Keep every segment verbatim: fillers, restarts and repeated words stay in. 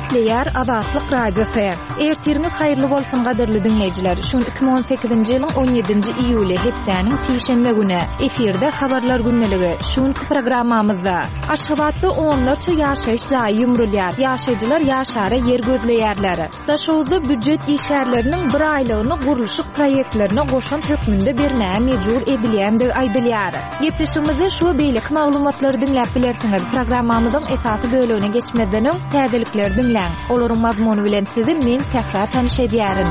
Gepleýär Azatlyk Radiosy. Ertiriňiz haýyrly bolsun gadyrly diňleýjiler. Şu gün iki müň on sekizinji ýylyň on ýedinji iýuly hepdäniň sişenbe güni. Efirde habarlar gündeligi. Şu günki programmamyzda Aşgabatda onlarça ýaşaýyş jaýy ýumrulýar. Ýaşaýjylar ýaşara ýer gözleýärler. Daşoguzda býujet işgärleriniň bir aýlygyny gurluşyk proýektlerine goşant hökmünde bermäge mejbur edilýändigi aýdylýar. Gepleşigimizde şu we beýleki maglumatlary diňläp bilersiňiz. Programmamyzyň esasy bölegine geçmezden öň täzelikleri diňläň. Olaryň mazmuny bilen sizi men Sähra tanyş edýärin.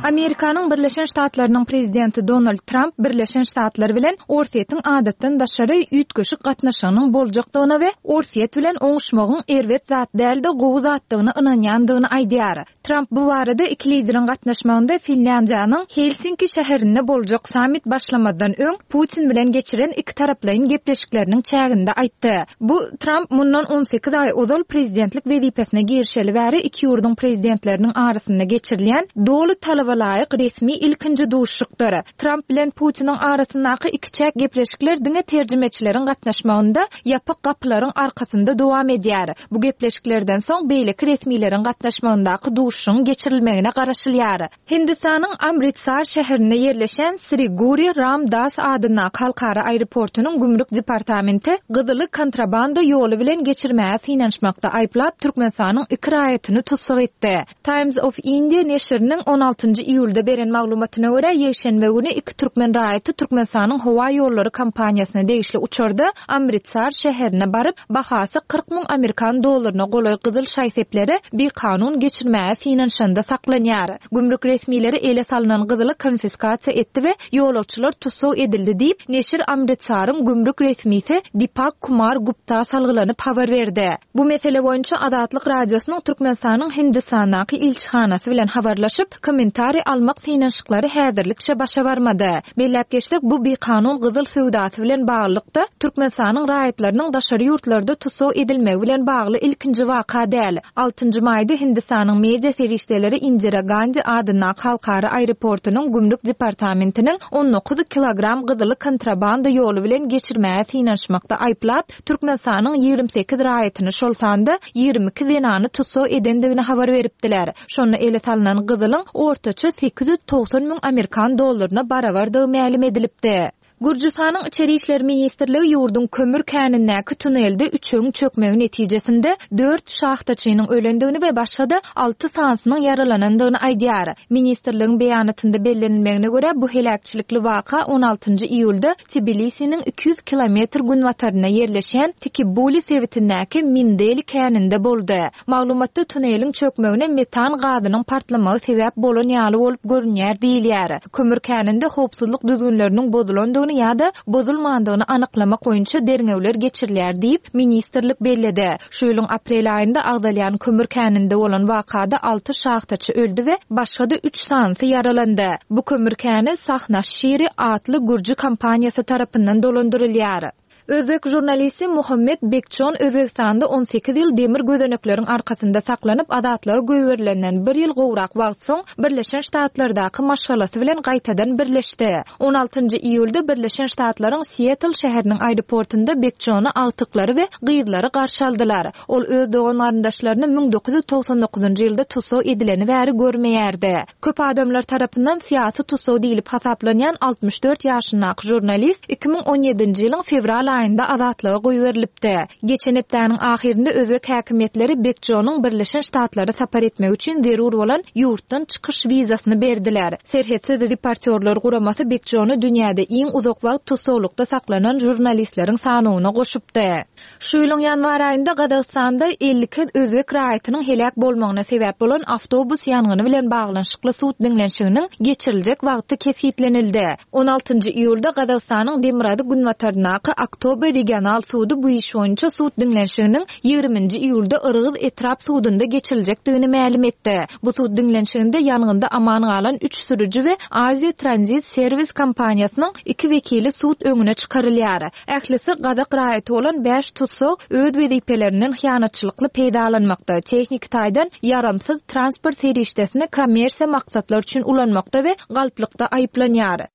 Amerikanyň Birleşen Ştatlarynyň prezidenti Donald Tramp Birleşen Ştatlar bilen Orsýetiň adatdan daşary üýtgeşik gatnaşygynyň boljakdygyna we Orsýet bilen oňuşmagyň erbet zat däl-de gowy zatdygyna ynanýandygyny aýdýar. Tramp bu barada iki lideriň gatnaşmagynda Finlýandiýanyň Helsinki şäherinde boljak sammit başlamazdan öň Putin bilen geçiren iki taraplaýyn gepleşikleriniň çäginde aýtdy. Bu Tramp mundan on sekiz aý ozal prezidentlik wezipesine girişeli bäri iki ýurduň prezidentleriniň arasynda geçirilýän doly talaba laýyk resmi ilkinji duşuşykdyr. Tramp bilen Putiniň arasyndaky ikiçäk gepleşikler diňe terjimeçileriň gatnaşmagynda ýapyk gapylaryň arkasynda dowam edýär. Bu gepleşiklerden soň beýleki resmileriň gatnaşmagyndaky duşuşygyň geçirilmegine garaşylýar. Hindistanyň Amritsar şäherinde ýerleşen Sri Guru Ram Das adyndaky halkara aeroportunyň gümrük departamenti gyzyly kontrabanda ýoly bilen geçirmäge synanyşmakda aýyplap Türkmenistanyň iki raýatyny tussag etdi. Times of India neşiriniň on altynjy iýulda beren maglumatyna görä, ýekşenbe güni iki türkmen raýaty Türkmenistanyň howa ýollary kompaniýasyna degişli uçarda Amritsar şäherine baryp, bahasy kyrk müň amerikan dollaryna golaý gyzyl şaý-sepleri bikanun geçirmäge synanyşanda saklanýar. Gümrük resmileri ele salynan gyzyly konfiskasiýa etdi we ýolagçylar tussag edildi diýip, neşir Amritsaryň gümrük resmisi Dipak Kumar Gupta salgylanyp habar berdi. Bu mesele boýunça Azatlyk Radiosynyň Türkmenistanyň Hindistandaky ilçihanasy bilen habarlaşyp, kommentariý almak synanyşyklary häzirlikçe başa barmady. Belläp geçsek, bu bikanun gyzyl söwdasy bilen baglylykda Türkmenistanyň raýatlarynyň daşary ýurtlarda tussag edilmegi bilen bagly ilkinji waka däl. Altynjy maýda Hindistanyň media serişdeleri Indira Gandhi adyndaky halkara aeroportunyň gümrük departamentiniň on dokuz kilogram gyzyly kontrabanda ýoly bilen geçirmäge synanyşmakda aýyplap, Türkmenistanyň ýigrimi sekiz raýatyny, şol sanda ýigrimi iki zenany tussag edendigini habar beripdiler. Şonda ele salynan gyzylyň ortaça sekiz ýüz togsan müň amerikan dollaryna barabardygy mälim edilipdi. Gürjüstanyň Içeri işler ministrligi ýurduň kömür känindäki tunelde üçegiň çökmegi netijesinde dört şahtaçynyň ölendigini we başga-da alty sanysynyň ýaralanandygyny aýdýar. Ministrligiň beýanatynda bellenilmegine görä, bu heläkçilikli waka on altynjy iýulda Tbilisiniň iki ýüz kilometr günbatarynda ýerleşýän Tikibuli sebitindäki Mindeli käninde boldy. Maglumatda tuneliň çökmegine metan gazynyň partlamagy sebäp bolan ýaly bolup görünýär diýilýär. Kömür käninde howpsuzlyk düzgünleriniň bozulandygyny ýa-da bozulmandygyny anyklamak boýunça derňewler geçirilýär diýip, ministrlik belledi. Şu ýylyň aprel aýynda agzalýan kömür käninde bolan wakada alty şahtaçy öldi we başga-da üç sanysy ýaralandy. Bu kömür käni Sahnaşiri atly gürji kompaniýasy tarapyndan dolandyrylýar. Özbek žurnalisti Muhammed Bekçon Özbekistanda on sekiz ýyl demir gözenekleriň arkasynda saklanyp azatlyga goýberilenden bir ýyl gowrak wagt soň Birleşen Ştatlardaky maşgalasy bilen gaýtadan birleşdi. on altynjy iýulda Birleşen Ştatlaryň Seattle şäheriniň aeroportunda Bekçony agtyklary we gyzlary garşy aldylar. Ol öz dogan garyndaşlaryny müň dokuz ýüz togsan dokuzynjy ýylda tussag edileni bäri görmeýärdi. Köp adamlar tarapyndan syýasy tussag diýlip hasaplanýan altmyş dört ýaşyndaky žurnalist iki müň on ýedinji ýylyň fewral aýynda azatlyga goýberilipdi. Geçen hepdäniň ahyrynda özbek häkimiýetleri Bekçonyň Birleşen Ştatlara sapar etmek üçin zerur bolan ýurtdan çykyş wizasyny berdiler. Serhetsiz reportýorlar guramasy Bekçony dünýäde iň uzak wagt tussaglykda saklanan žurnalistleriň sanawyna goşupdy. Şu ýylyň ýanwar aýynda Gazagystanda elli iki özbek raýatynyň heläk bolmagyna sebäp bolan awtobus ýangyny bilen baglanyşykly sud diňlenişiginiň geçiriljek wagty kesgitlenildi. On altynjy iýulda Gazagystanyň Demirgazyk günbataryndaky Aktobe regional sudy bu iş boýunça sud diňlenişiginiň ýigriminji iýulda Yrgyz etrap sudunda geçiriljekdigini mälim etdi. Bu sud diňlenişiginde ýangynda aman galan üç sürüji we Aziýa Tranzit Serwis kompaniýasynyň iki wekili sud öňüne çykarylýar. Ählisi gazak raýaty bolan bäş tussag öz wezipelerinden hyýanatçylykly peýdalanmakda, tehniki taýdan ýaramsyz transport serişdesini kommersiýa maksatlar üçin ulanmakda we galplykda aýyplanýar.